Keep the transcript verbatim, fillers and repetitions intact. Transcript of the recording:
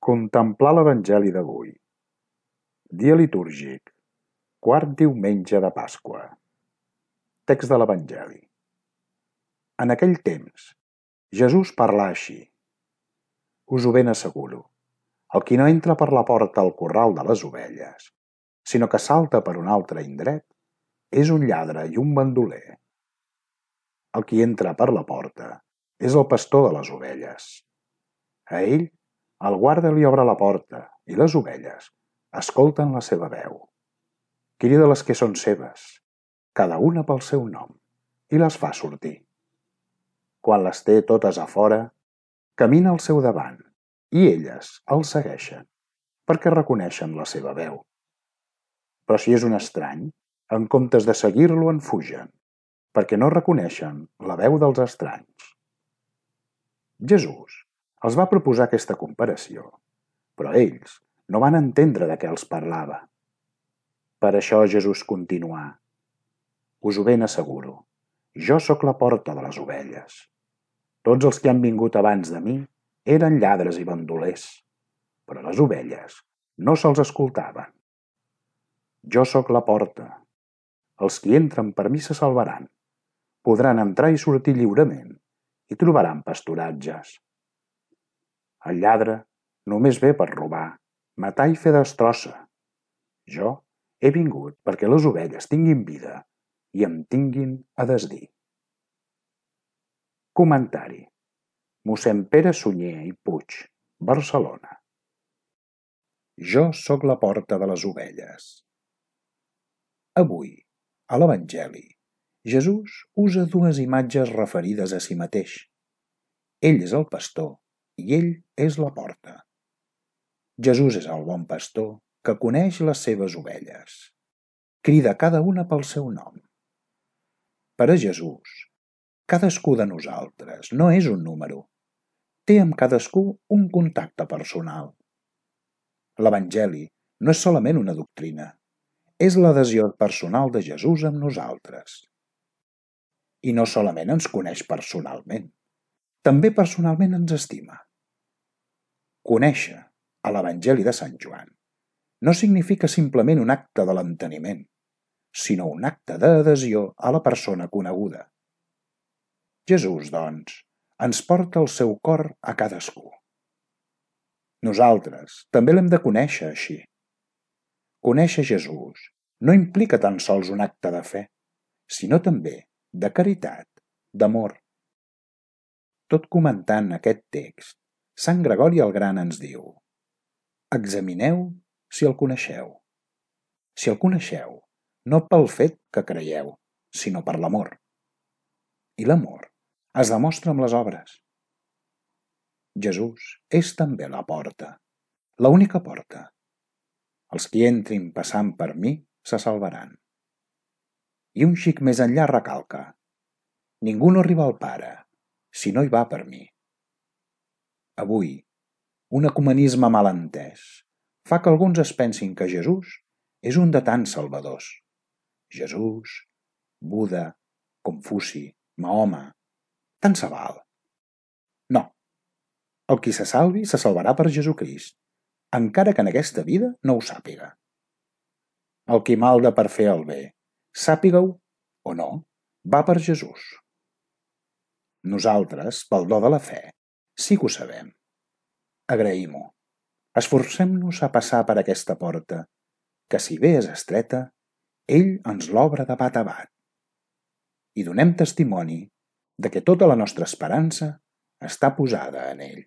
Contemplar l'Evangeli d'avui. Dia litúrgic, quart diumenge de Pasqua. Text de l'Evangeli. En aquell temps, Jesús parlà així. Us ho ben asseguro, el qui no entra per la porta al corral de les ovelles, sinó que salta per un altre indret, és un lladre i un bandoler. El qui entra per la porta és el pastor de les ovelles. A ell, el guarda li obre la porta i les ovelles escolten la seva veu. Crida les que són seves, cada una pel seu nom, i les fa sortir. Quan les té totes a fora, camina al seu davant i elles el segueixen, perquè reconeixen la seva veu. Però si és un estrany, en comptes de seguir-lo en fugen, perquè no reconeixen la veu dels estranys. Jesús els va proposar aquesta comparació, però ells no van entendre de què els parlava. Per això Jesús continuà: us ho ben asseguro, jo sóc la porta de les ovelles. Tots els que han vingut abans de mi eren lladres i bandolers, però les ovelles no se'ls escoltaven. Jo sóc la porta. Els qui entren per mi se salvaran, podran entrar i sortir lliurement i trobaran pasturatges. El lladre només ve per robar, matar i fer destrossa. Jo he vingut perquè les ovelles tinguin vida i em tinguin a desdir. Comentari. Mossèn Pere Sunyer i Puig, Barcelona. Jo sóc la porta de les ovelles. Avui, a l'Evangeli, Jesús usa dues imatges referides a si mateix. Ell és el pastor i ell és la porta. Jesús és el bon pastor que coneix les seves ovelles. Crida cada una pel seu nom. Per a Jesús, cadascú de nosaltres no és un número. Té amb cadascú un contacte personal. L'Evangeli no és solament una doctrina, és l'adhesió personal de Jesús amb nosaltres. I no solament ens coneix personalment, també personalment ens estima. Conèixer, a l'Evangeli de Sant Joan, no significa simplement un acte de l'enteniment, sinó un acte d'adhesió a la persona coneguda. Jesús, doncs, ens porta el seu cor a cadascú. Nosaltres també l'hem de conèixer així. Conèixer Jesús no implica tan sols un acte de fe, sinó també de caritat, d'amor. Tot comentant aquest text, Sant Gregori el Gran ens diu: examineu si el coneixeu. Si el coneixeu, no pel fet que creieu, sinó per l'amor. I l'amor es demostra amb les obres. Jesús és també la porta, l'única porta. Els qui entrin passant per mi se salvaran. I un xic més enllà recalca: ningú no arriba al Pare si no hi va per mi. Avui, un ecumenisme mal entès fa que alguns es pensin que Jesús és un de tants salvadors. Jesús, Buda, Confuci, Mahoma, tant se val. No, el qui se salvi se salvarà per Jesucrist, encara que en aquesta vida no ho sàpiga. El qui malda per fer el bé, sàpiga-ho o no, va per Jesús. Nosaltres, pel do de la fe, sí que ho sabem. Agraïm-ho. Esforcem-nos a passar per aquesta porta, que si bé és estreta, ell ens l'obre de bat a bat. I donem testimoni de que tota la nostra esperança està posada en ell.